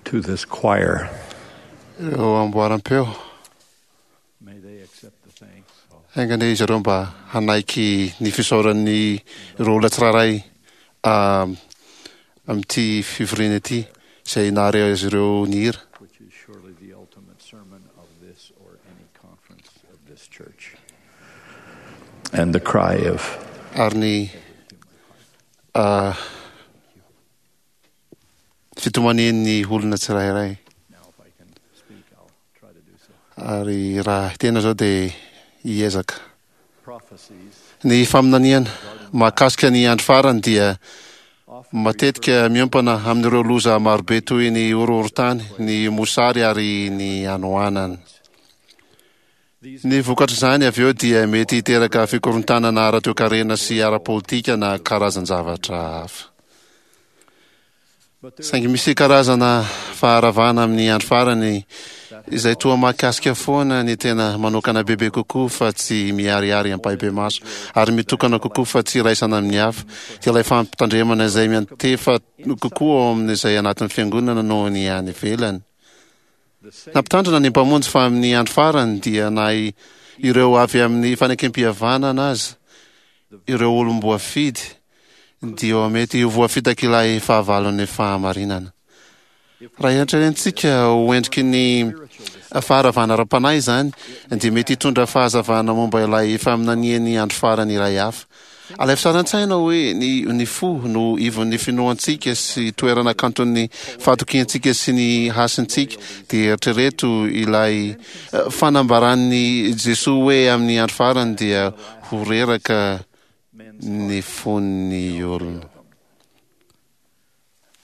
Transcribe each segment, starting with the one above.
To this choir. Ireo amboaram-peo. May they accept the thanks of Enga anie izy ireo mba hanaiky ny fisaoran'ny ireo olona tsirairay amin'ity fivoriana ity izay nahare azy ireo nihira. which is surely the ultimate sermon of this or any conference of this church. And the cry of Ary ny fitomanian'ny olona tsirairay. now if I can speak, I'll try to do so. Ary raha tena izao dia hiezaka. Prophecies Ny faminaniana mahakasika ny andro farany dia matetika miompana amin'ireo loza marobe toy ny horohorontany, ny mosary ary ny hanoanana. Ny vokatr'izany avy eo dia mety hiteraka fikorontanana ara-toekarena sy ara-politika na karazan-javatra hafa. Saingy misy karazana faharavana amin'ny andro farany izay toa mahakasika foana ny tena manokana bebe kokoa fa tsy miharihary ampahibemaso ary mitokana kokoa fa tsy iraisana amin'ny hafa, dia ilay fampitandremana izay miantefa kokoa ao amin'izay anatin'ny fiangonana noho ny any ivelany. Nampitandrina ny Mpamonjy fa amin'ny andro farany dia na ireo avy amin'ny fanekempihavanana aza, ireo olom-boafidy, dia mety ho voafitak'ilay fahavalon'ny fahamarinana. Raha eritreretintsika ho endriky ny faharavana ara-panahy izany, dia mety hitondra fahazavana momba ilay faminanian'ny andro farany iray hafa. Alaivo sary an-tsaina hoe ny ny fo no ivon'ny finoantsika sy toerana kanton'ny fahatokiantsika sy ny hasintsika, dia eritrereto ilay fanambaran'i Jesoa hoe amin'ny andro farany dia ho reraka ny fon'ny olona.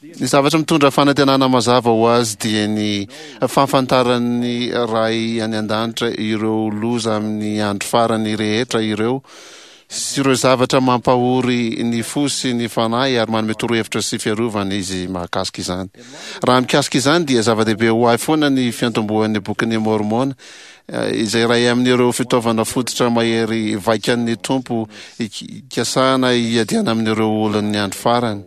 Ny zavatra mitondra fanantenana mazava ho azy dia ny fahafantaran'ny Ray any An-danitra ireo loza amin'ny andro farany rehetra ireo sy ireo zavatra mampahory ny fo sy ny fanahy ary manome torohevitra sy fiarovana Izy mahakasika izany. Raha mikasika izany dia zava-dehibe ho ahy foana ny fiantombohan'ny Bokin'i Môrmôna izay iray amin'ireo fitaovana fototra mahery vaikan'ny Tompo ikasana hiadiana amin'ireo olon'ny andro farany.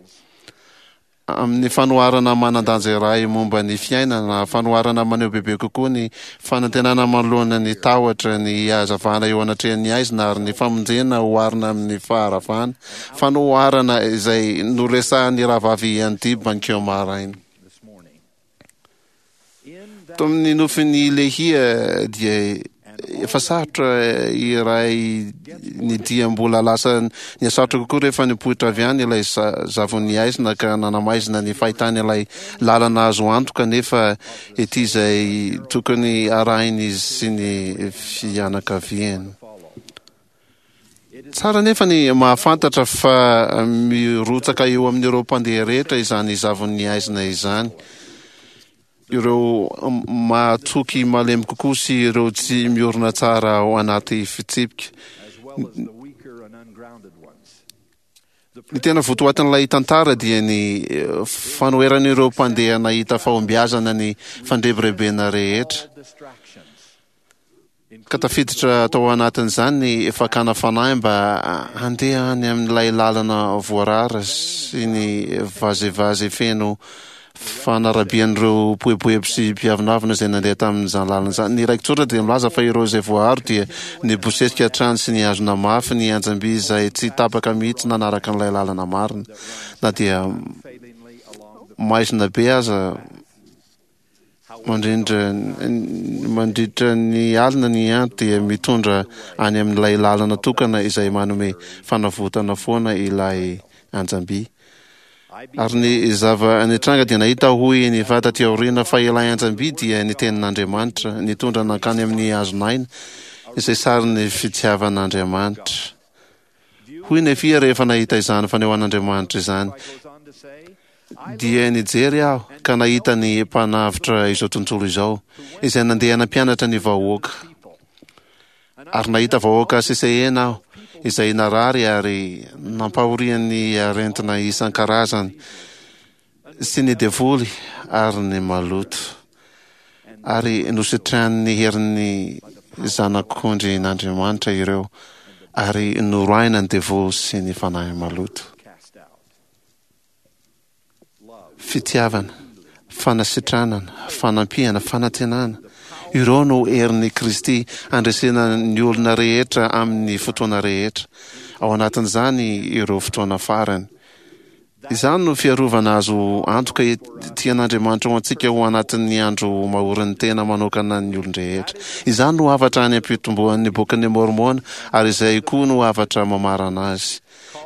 Amin'ny fanoharana manan-danja iray momba ny fiainana, fanoharana maneho bebe kokoa ny fanantenana manoloana ny tahotra, ny hazavana eo anatrehan'ny haizina ary ny famonjena oharina amin'ny faharavana, fanoharana izay noresahan'ny Rahavavy Andy Bankeo maraina. Tao amin'ny nofin'i Lehia dia efa sarotra iray ny dia mbola lasa nihasarotra kokoa rehefa nipoitra avy any ilay zavon'ny haizina ka nanamaizina ny fahitany ilay lalana azo antoka nefa ety izay tokony harahin'izy sy ny fianakaviany. Tsara anefa ny mahafantatra fa mirotsaka eo amin'ireo mpandeha rehetra izany zavon'ny haizina izany. Ireo mahatoky malemy kokoa sy ireo tsy miorina tsara ao anaty fitsipika. Ny tena votoatin'ilay tantara dia ny fanoheran'ireo mpandeha nahita fahombiazana ny fandrebirebena rehetra. Ka tafiditra tao anatin'izany ny fakana fanahy mba handeha any amin'ilay lalana voarara sy ny vazivazy feno fanarabian'ireo mpoeboebo sy mpiavonavona izay nandeha tamin'izany lalana izany. Ny raiki-tsoratra dia milaza fa ireo izay voaaro dia nibosesika hatrany sy nihazona mafy ny anjam-by izay tsy tapaka mihitsy nanaraka an'ilay lalana marina na dia maizina be aza. Mandrindra mandritra ny alina ny andro dia mitondra any amin'ilay lalana tokana izay manome fanavotana foana ilay anjam-by. Ary ny zava-nitranga dia nahita aho, hoy ny va taty aoriana, fa ilay anjam-by dia ny tenin'Andriamanitra, nitondra nankany amin'ny hazon'aina, izay sarin'ny fitiavan'Andriamanitra. Hoy Nefia rehefa nahita izany fanehoan'Andriamanitra izany, Dia nijery aho ka nahita ny Mpanavotra izao tontolo izao, izay nandeha nampianatra ny vahoaka. Ary nahita vahoaka sesehena aho, izay narary ary nampahorian'ny arentina isan-karazany, sy ny devoly ary ny maloto. Ary nositranin'ny herin'ny Zanak'ondrin'Andriamanitra ireo, ary noroahina ny devoly sy ny fanahy maloto. Fitiavana, Fanasitranana, fanampiana, fanantenana, ireo no herin'i Kristy handresena ny olona rehetra amin'ny fotoana rehetra, ao anatin'izany ireo fotoana farany. Izany no fiarovana azo antoka tian'Andriamanitra ho antsika ho anatin'ny andro mahorin'ny tena manokana ny olon-drehetra. Izany no hafatra any am-pitomboan'ny Bokin'i Môrmôna ary izay koa no hafatra mamarana azy,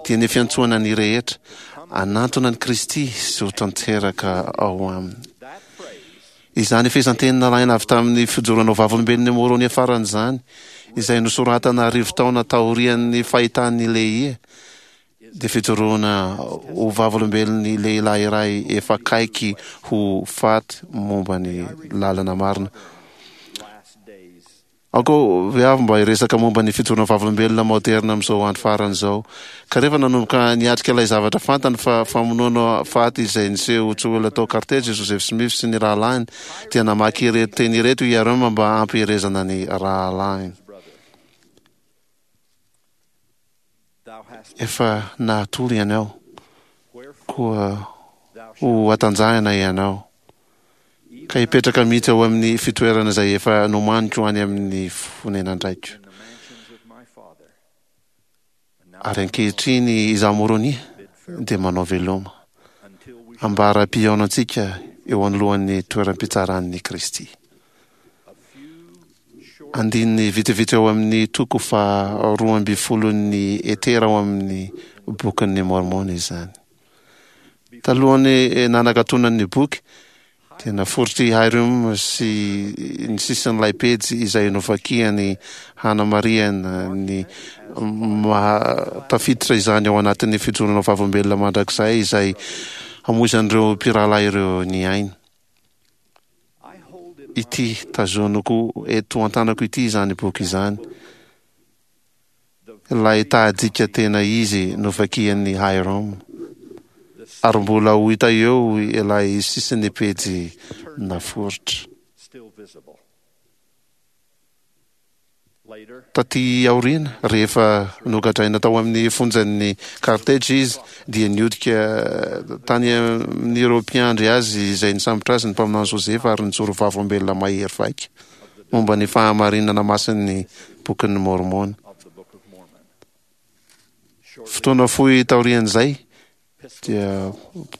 dia ny fiantsoana ny rehetra hanantona an'i Kristy sy ho tanteraka ao Aminy. Izany fehezanteny nalaina avy tamin'ny fijoroana ho vavolombelon'i Môrônia farany izany, izay nosoratana arivotaona taorian'ny fahitan'i Lehia, dia fijoroana ho vavolombelon'ny lehilahy iray efa akaiky ho faty momba ny lalana marina. Aoka ve avy mba hiresaka momba ny fijoroana vavolombelona maoderina amin'izao andro farany izao. Ka rehefa nanomboka niatrika ilay zavatra fantany fa famonoana faty izay niseho tsy ho ela tao Carthage i Joseph Smith sy ny rahalahiny, dia namaky ireto teny ireto i Hyrum mba hampiherezana ny rahalahiny. Efa nahatory ianao, koa ho hatanjahina ianao, ka hipetraka mihitsy ao amin'ny fitoerana izay efa nomaniko any amin'ny fonenan-draiko. Ary ankehitriny izaho Moronia dia manao veloma, ambara-pihaonantsika eo anoloan'ny toeram-pitsaran'i Kristy. Andininy vitsivitsy ao amin'ny toko faha roambifolon'ny Etera ao amin'ny Bokin'i Môrmôna izany. Talohan'ny nanakatonany ny boky, dia naforitr'i Hyrum sy ny sisin'ilay pejy izay novakiany hanamarihana ny maha tafiditra izany ao anatin'ny fijoroana vavolombelona mandrakizay izay hamoizan'ireo mpirahalahy ireo ny ainy. Ity tazoniko eto an-tanako ity izany boky izany, ilay tahadika tena izy novakian'i Hyrum, ary mbola ho hita eo ilay sisin'ny pejy naforitra. Tatỳ aoriana, rehefa nogadraina tao amin'ny fonjan'i Carthage izy, dia nihodika tany amin'ireo mpiandry azy izay nisambotra azy ny mpaminany Josefa ary nijoro vavolombelona mahery vaika momba ny fahamarinana masin'ny Bokin'i Môrmôna. Fotoana fohy taorian'izay, dia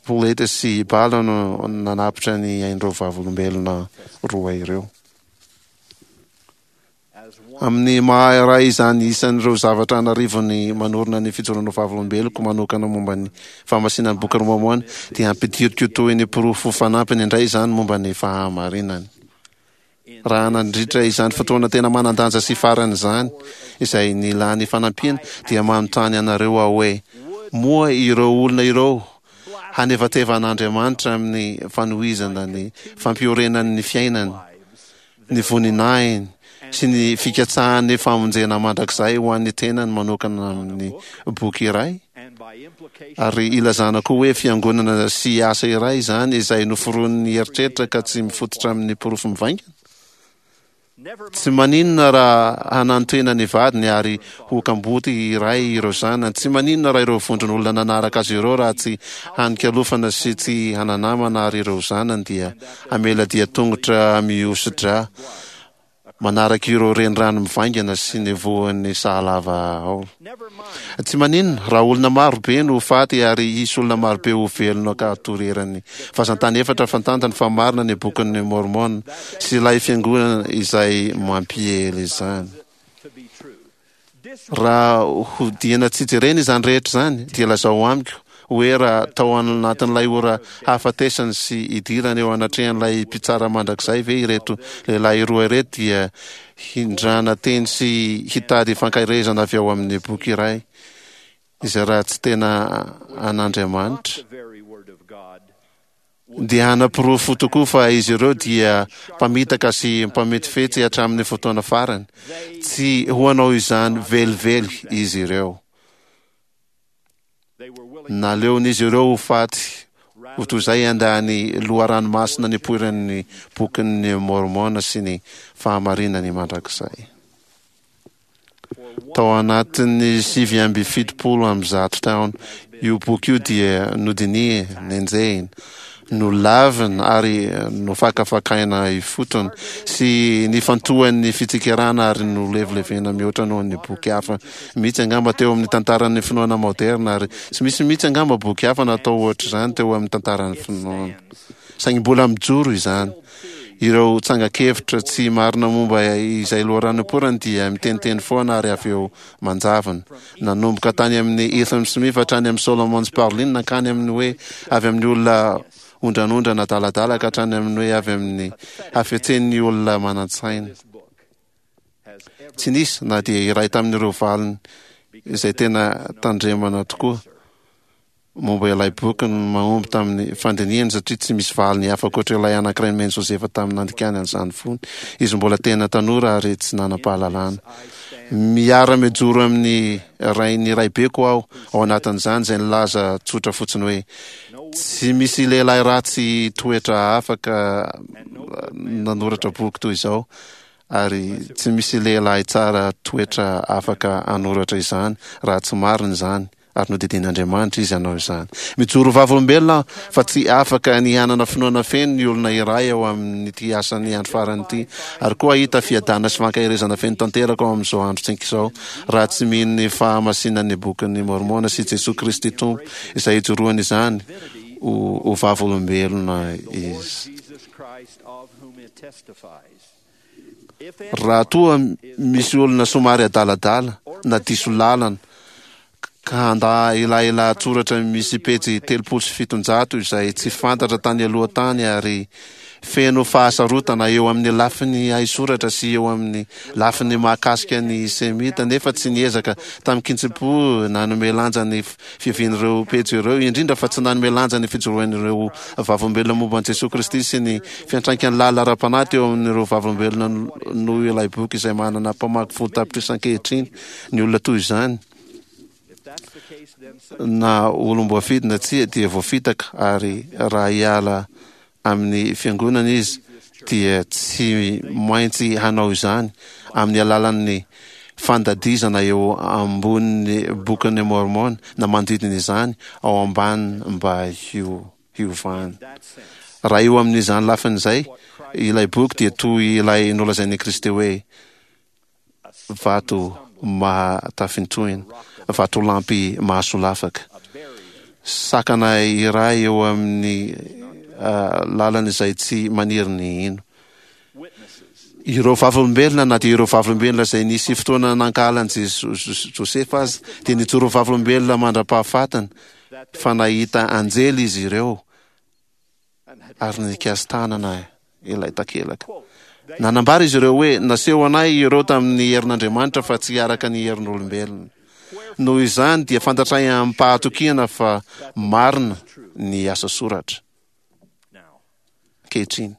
poleta sy bala no nanapitra ny ain'ireo vavolombelona roa ireo. Amin'ny maha iray izany isan'ireo zavatra an'arivony manorina ny fijoroana ho vavolombeloko manokana momba ny fahamasinan'ny Bokin'i Môrmôna, dia ampidiriko toy ny porofo fanampiny indray izany momba ny fahamarinany. Raha nandritra izany fotoana tena manan-danja sy farany izany, izay nilany fanampiana, dia manontany anareo aho hoe, Moa ireo olona ireo hanevateva an'Andriamanitra amin'ny fanohizana ny fampiorenany ny fiainany, ny voninahiny sy ny fikatsahany famonjena mandrakizay ho an'ny tenany manokana amin'ny boky iray? Ary ilazana koa hoe fiangonana sy asa iray izany izay noforonin'ny eritreritra ka tsy mifototra amin'ny porofo mivaingana? Tsy maninona raha hanantena ny vadiny ary ho kamboty iray ireo zanany. Tsy maninona raha ireo vondron'olona nanaraka azy ireo raha tsy hanin-kialofana sy tsy hana-namana ary ireo zanany dia hamela dia tongotra mihoso-drà manaraka ireo renirano mivaingana sy ny vohon'ny sahalava ao. Tsy maninona raha olona maro be no ho faty ary hisy olona maro be ho velona ka hatory eran'ny vazan-tany efatra fantantany fa marina ny Bokin'i Môrmôna sy ilay Fiangonana izay mampiely izany. Raha hodiana tsy jerena izany rehetra izany, dia lazao amiko hoe raha tao anatin'ilay ora hahafatesany sy hidirany eo anatrehan'ilay Mpitsara Mandrakizay ve ireto lehilahy roa ireto dia hindrana teny sy hitady fankaherezana avy ao amin'ny boky iray izay raha tsy tena an'Andriamanitra dia hanaporofo tokoa fa izy ireo dia mpamitaka sy mpametifetsy hatramin'ny fotoana farany. Tsy ho hanao izany velively izy ireo. Naleon'izy ireo ho faty ho toy izay handà ny loharano masina nipoiran'ny Bokin'i Môrmôna sy ny fahamarinany mandrakizay. Tao anatin'ny 179 taona, io boky io dia nodinihina, nenjehina, Nolavina ary nofakafakaina ifotony sy nifantohan'ny fitsikerana ary nolevilevena mihoatra noho ny boky hafa mihitsy angamba teo amin'ny tantaran'ny finoana maoderina ary tsy misy mihitsy angamba boky hafa natao ohatr'izany teo amin'ny tantaran'ny finoana. Saingy mbola mijoro izany. Ireo tsangan-kevitra tsy marina momba izay loharano nipoirany dia miteniteny foana ary avy eo manjavona. Nanomboka tany amin'i Ethan Smith hatrany amin'i Solomon Sparlin nankany amin'ny hoe avy amin'ny olona ondranondrana adaladala ka hatrany amin'ny hoe avy amin'ny hafetsen'ny olona manan-tsaina. Tsy nisy na dia iray tamin'ireo valiny izay tena tandremana tokoa. momba ilay boky no mahomby tamin'ny fandinihany satria tsy misy valiny hafa ankoatra ilay anankiray nomen'i Josefa tamin'ny nandikany an'izany fony izy mbola tena tanora ary tsy nanam-pahalalana. Miara-mijoro amin'ny rain'ny raibeko aho ao anatin'izany izay nilaza tsotra fotsiny hoe tsy misy lehilahy ratsy toetra afaka nanoratra boky toy izao ary tsy misy lehilahy tsara toetra afaka hanoratra izany raha tsy marina izany ary nodidian'Andriamanitra izy hanao izany. Mijoro ho vavolombelona aho fa tsy afaka ny hanana finoana feno ny olona iray ao amin'ity asan'ny andro farany ity, ary koa hahita fiadanana sy fankaherezana feno tanteraka ao amin'izao androntsika izao, raha tsy mino ny fahamasinan'ny Bokin'i Môrmôna sy Jesoa Kristy Tompo izay ijoroany izany ho vavolombelona izy. Raha toa misy olona somary adaladala na diso lalana ka handà ilay lahatsoratra misy pejy 730 izay tsy fantatra tany aloha tany ary feno fahasarotana eo amin'ny lafiny haisoratra sy eo amin'ny lafiny mahakasika ny Semita nefa tsy niezaka tamin-kitsim-po nanome lanja ny fiavian'ireo pejy ireo, indrindra fa tsy nanome lanja ny fijoroan'ireo vavolombelona momba an'i Jesoa Kristy sy ny fiantraikany lalina ara-panahy teo amin'ireo vavolombelona noho ilay boky izay manana mpamaky 10 tapitrisa ankehitriny. Ny olona toy izany, na olom-boafidy na tsia, dia voafitaka ary raha hiala amin'ny Fiangonana izy dia tsy maintsy hanao izany amin'ny alalan'ny fandadizana eo ambonin'ny Bokin'i Môrmôna na manodidina izany ao ambany mba hiovany. Raha eo amin'izany lafiny izay, ilay boky dia toy ilay nolazain'i Kristy hoe, Vato mahatafintohina, vatolampy mahasolafaka. Sakana iray eo amin'ny lalana izay tsy maniry ny hino. Ireo vavolombelona, na dia ireo vavolombelona izay nisy fotoana nankahala an'i Josefa aza, dia nijoro vavolombelona mandra-pahafatiny fa nahita anjely izy ireo ary nikasi-tanana ilay takelaka. Nanambara izy ireo hoe, Naseho anay ireo tamin'ny herin'Andriamanitra fa tsy araka ny herin'olombelona. Noho izany dia fantatray amim-pahatokiana fa marina ny asa soratra. Ankehitriny,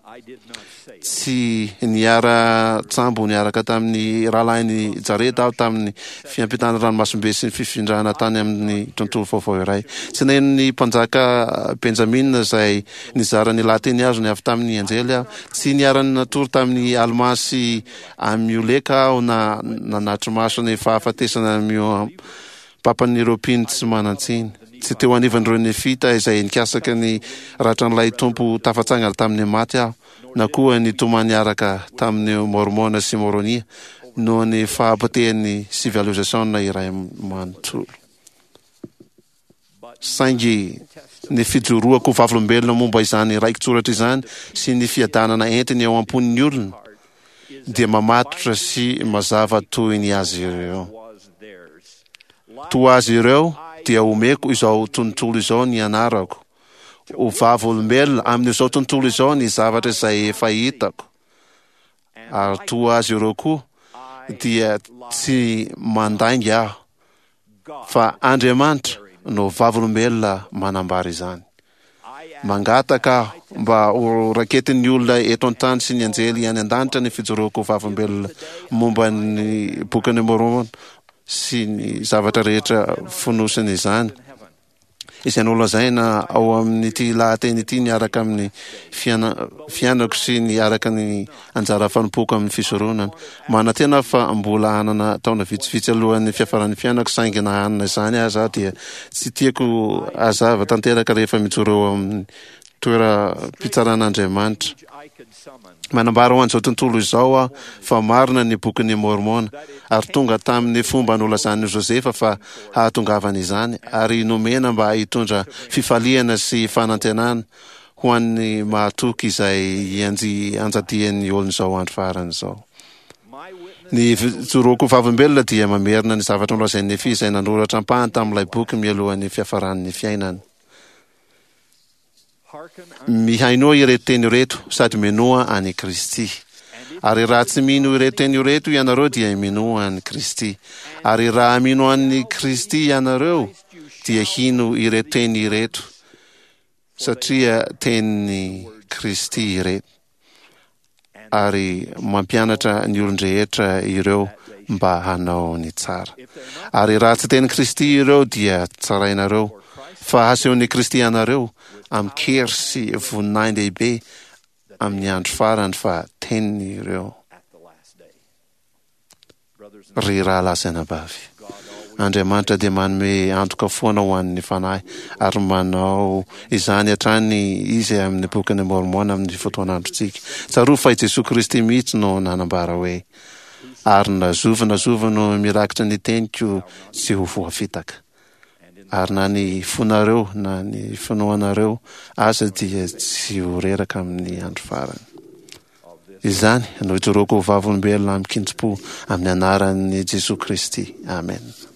tsy niara-tsambo niaraka tamin'ny rahalahin'i Jareda aho tamin'ny fiampitana ranomasimbe sy ny fifindrana tany amin'ny tontolo vaovao iray. Tsy naheno ny mpanjaka Benjamina izay Nizara ny lahateny azony avy tamin'ny anjely aho. Tsy niara-natory tamin'i Almà sy Amioleka aho na nanatri-maso ny fahafatesana mihoam-papan'ireo mpino tsy manan-tsiny. Tsy teo anivon'ireo Nefita izay nikasaka ny ratran'ilay Tompo tafatsangana tamin'ny maty aho, na koa nitomany niaraka tamin'i Môrmôna sy Môrônia noho ny fahapotehan'ny sivilizasiona iray manontolo. Saingy ny fijoroako ho vavolombelona momba izany raiki-tsoratra izany sy ny fiadanana entiny ao am-pon'ny olona dia mamatotra sy mazava toy ny azy ireo. Toa azy ireo dia omeko izao tontolo izao ny anarako, ho vavolombelona amin'izao tontolo izao ny zavatra izay efa hitako, ary toa azy ireo koa dia tsy mandainga aho fa Andriamanitra no vavolombelona manambara izany. Mangataka aho mba ho raketin'ny olona eto an-tany sy ny anjely any an-danitra ny fijoroako ho vavolombelona momba ny Bokin'i Môrmôna sy ny zavatra rehetra fonosin'izany. izay nolazaina ao amin'ity lahateny ity miaraka amin'ny fiainako sy ny araka ny anjara fanompoako amin'ny fisoronana. Manantena aho fa mbola hanana taona vitsivitsy alohan'ny fiafaran'ny fiainako, saingy na hanana izany aza aho dia tsy tiako hazava tanteraka rehefa mijoro eo amin'ny toeram-pitsaran'Andriamanitra. Manambara ho an'izao tontolo izao aho fa marina ny Bokin'i Môrmôna, ary tonga tamin'ny fomba nolazan'i Josefa fa hahatongavany izany, ary nomena mba hitondra fifaliana sy fanantenana ho an'ny mahatoky izay ianjadian'ny olon'izao andro farany izao. Ny fijoroako ho vavolombelona dia mamerina ny zavatra nolazain'i Nefia izay nanoratra ampahany tamin'ilay boky mialohan'ny fiafaran'ny fiainany. Mihainoa ireto teny ireto sady minoa an'i Kristy. Ary raha tsy mino ireto teny ireto ianareo dia minoa an'i Kristy. Ary raha mino an'i Kristy ianareo dia hino ireto teny ireto satria tenin'i Kristy ireto. Ary mampianatra ny olon-drehetra ireo mba hanao ny tsara. Ary raha tsy tenin'i Kristy ireo dia tsarainareo, fa hasehon'i Kristy anareo amin-kery sy voninahin-dehibe amin'ny andro farany fa teniny ireo. Ry rahalahy sy anabavy, Andriamanitra dia manome antoka foana ho an'ny fanahy, ary manao izany hatrany Izy amin'ny Bokin'i Môrmôna amin'ny fotoan'androntsika. Tsarovy fa i Jesoa Kristy mihitsy no nanambara hoe, Ary na zovy na zovy no mirakitra ny teniko tsy ho voafitaka. Ary na ny fonareo na ny finoanareo aza dia tsy ho reraka amin'ny andro farany. Izany no ijoroako ho vavolombelona amin-kintim-po amin'ny anaran'i Jesoa Kristy. Amena.